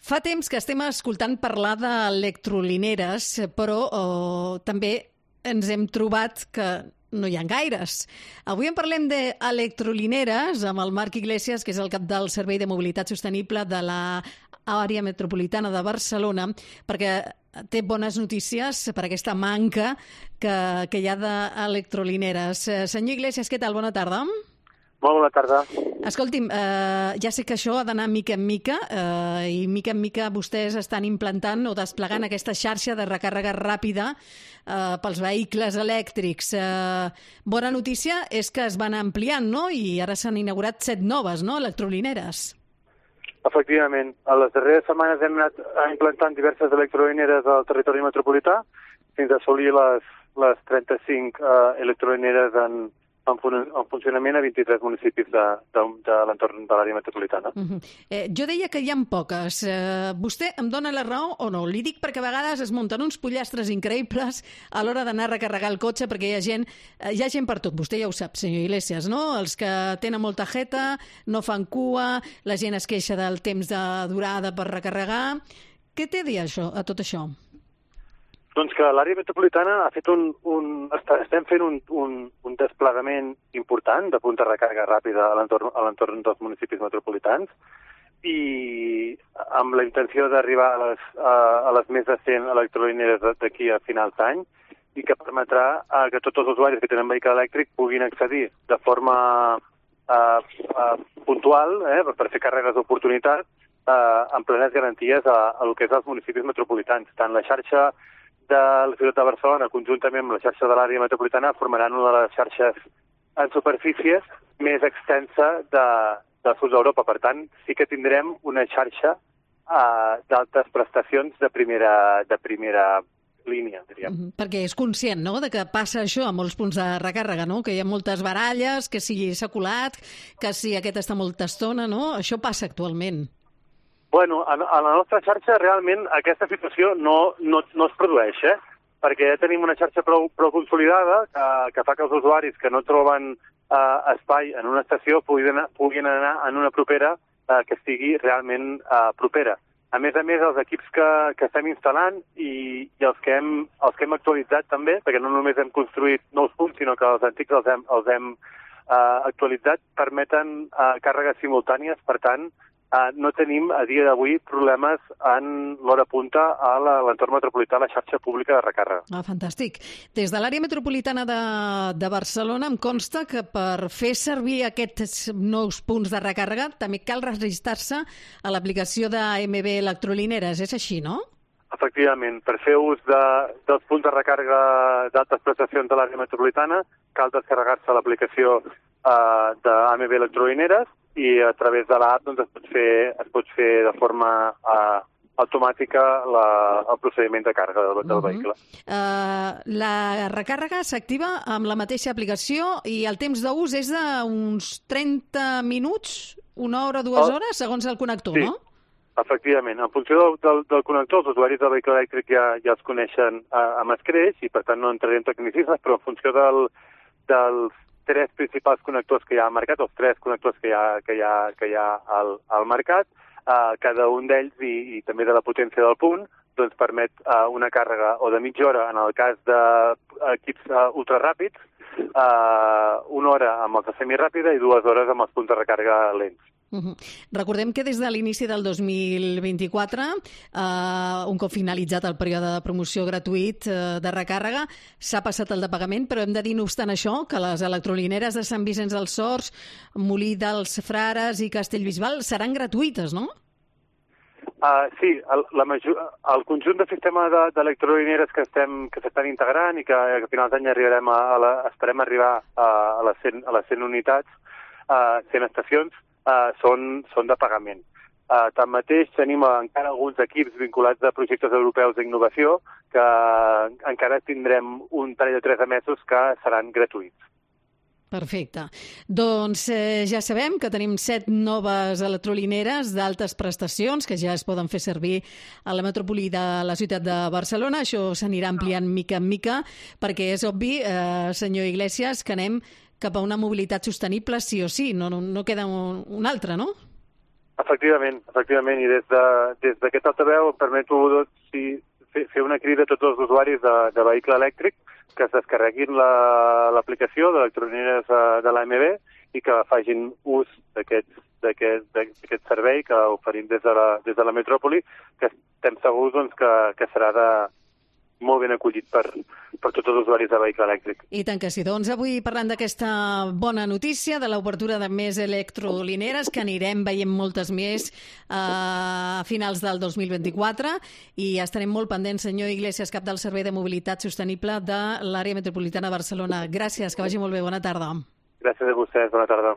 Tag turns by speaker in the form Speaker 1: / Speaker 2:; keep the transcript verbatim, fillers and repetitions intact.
Speaker 1: Fa temps que estem escoltant parlar d'electrolineres, però oh, també ens hem trobat que no hi ha gaires. Avui en parlem d'electrolineres amb el Marc Iglesias, que és el cap del Servei de Mobilitat Sostenible de l'àrea metropolitana de Barcelona, perquè té bones notícies per aquesta manca que, que hi ha d'electrolineres. Senyor Iglesias, què tal? Bona tarda.
Speaker 2: Molt bona tarda.
Speaker 1: Escolti'm, eh, ja sé que això ha d'anar mica en mica eh, i mica en mica vostès estan implantant o desplegant aquesta xarxa de recàrrega ràpida eh, pels vehicles elèctrics. Eh, bona notícia és que es van ampliant, no? I ara s'han inaugurat set noves, no?, electrolineres.
Speaker 2: Efectivament. A les darreres setmanes hem anat implantant diverses electrolineres al territori metropolità fins a assolir les, les trenta-cinc eh, electrolineres en en funcionament a vint-i-tres municipis de, de, de l'entorn de l'àrea metropolitana.
Speaker 1: Uh -huh. eh, jo deia que hi ha poques. Eh, vostè em dona la raó o no? Li dic perquè a vegades es munten uns pollastres increïbles a l'hora d'anar a recarregar el cotxe, perquè hi ha gent, eh, hi ha gent per tot. Vostè ja ho sap, senyor Iglesias, no? Els que tenen molta jeta, no fan cua, la gent es queixa del temps de durada per recarregar. Què té a dir això, a tot això?
Speaker 2: Doncs que l'àrea metropolitana ha fet un, un, estem fent un, un, un desplegament important de punts de recàrrega ràpida a l'entorn a l'entorn dels municipis metropolitans i amb la intenció d'arribar a les, a, a les més de cent electrolineres d'aquí a finals d'any i que permetrà a que tots els usuaris que tenen vehicle elèctric puguin accedir de forma uh, uh, puntual eh, per fer càrregues d'oportunitat uh, amb plenes garanties a, a el que és els municipis metropolitans. Tant la xarxa de la ciutat de Barcelona, conjuntament amb la xarxa de l'àrea metropolitana, formaran una de les xarxes en superfícies més extensa de, del sud d'Europa. Per tant, sí que tindrem una xarxa uh, d'altes prestacions de primera, de primera línia, diríem.
Speaker 1: Mm-hmm. Perquè és conscient, no?, de que passa això a molts punts de recàrrega, no?, que hi ha moltes baralles, que si s'ha colat, que si aquest està molta estona, no? Això passa actualment.
Speaker 2: Bueno, a, a la nostra xarxa realment aquesta situació no, no, no es produeix, eh? Perquè ja tenim una xarxa prou, prou consolidada que, que fa que els usuaris que no troben eh, espai en una estació puguin anar, puguin anar en una propera eh, que estigui realment eh, propera. A més a més, els equips que, que estem instal·lant i, i els, que hem, els que hem actualitzat també, perquè no només hem construït nous punts, sinó que els antics els hem, els hem eh, actualitzat, permeten eh, càrregues simultànies, per tant, Uh, no tenim a dia d'avui problemes en l'hora punta a l'entorn metropolità, a la xarxa pública de recàrrega.
Speaker 1: Ah, fantàstic. Des de l'àrea metropolitana de, de Barcelona em consta que per fer servir aquests nous punts de recàrrega també cal registrar-se a l'aplicació d'A M B Electrolineres. És així, no?
Speaker 2: Efectivament. Per fer ús de, dels punts de recàrrega d'altes prestacions de l'àrea metropolitana cal descarregar-se l'aplicació uh, d'A M B Electrolineres i a través de l'app doncs, es pot fer, es pot fer de forma uh, automàtica la, el procediment de càrrega del, del uh-huh. vehicle.
Speaker 1: Uh, la recàrrega s'activa amb la mateixa aplicació i el temps d'ús és d'uns trenta minuts, una hora, dues oh. hores, segons el connector,
Speaker 2: sí.
Speaker 1: no?
Speaker 2: Efectivament. En funció del, del, del connector, els usuaris del vehicle elèctric ja, ja els coneixen uh, amb escreix i per tant no entraré en tecnicismes, però en funció del, dels tres principals connectors que hi ha al mercat, els tres connectors que hi ha, que hi ha, que hi ha al, al mercat, eh, cada un d'ells i, i també de la potència del punt, doncs permet eh, una càrrega o de mitja hora en el cas d'equips eh, ultraràpids, eh, una hora amb els de semiràpida i dues hores amb els punts de recàrrega lents.
Speaker 1: Uh-huh. Recordem que des de l'inici del dos mil vint-i-quatre, eh, un cop finalitzat el període de promoció gratuït eh, de recàrrega, s'ha passat el de pagament, però hem de dir, no obstant això, que les electrolineres de Sant Vicenç dels Horts, Molí dels Frares i Castellbisbal seran gratuïtes, no?
Speaker 2: Uh, sí, el, la major, el conjunt de sistema d'electrolineres que estem que s'estan integrant i que, que a finals d'any arribarem a, a la, esperem arribar a, a, les cent, a les cent unitats, uh, cent estacions, Uh, són, són de pagament. Uh, tanmateix, tenim encara alguns equips vinculats a projectes europeus d'innovació que encara tindrem un parell de tres mesos que seran gratuïts.
Speaker 1: Perfecte. Doncs eh, ja sabem que tenim set noves electrolineres d'altes prestacions que ja es poden fer servir a la metròpoli de la ciutat de Barcelona. Això s'anirà ampliant mica en mica perquè és obvi, eh, senyor Iglesias, que anem cap a una mobilitat sostenible sí o sí, no, no, no queda un, un altre, no?
Speaker 2: Efectivament, efectivament, i des d'aquest de, des altaveu em permeto doncs, si, fer, fer una crida a tots els usuaris de, de vehicle elèctric que es descarreguin l'aplicació la, d'electrolineres de l'A M B i que facin ús d'aquest d'aquest servei que oferim des de la, des de la metròpoli, que estem segurs doncs, que, que serà de, molt ben acollit per, per tots els usuaris de vehicle elèctric.
Speaker 1: I tant que sí. Doncs avui parlant d'aquesta bona notícia de l'obertura de més electrolineres, que anirem veient moltes més eh, a finals del dos mil vint-i-quatre, i estarem molt pendents, senyor Iglesias, cap del Servei de Mobilitat Sostenible de l'Àrea Metropolitana de Barcelona. Gràcies, que vagi molt bé. Bona tarda.
Speaker 2: Gràcies a vostès. Bona tarda.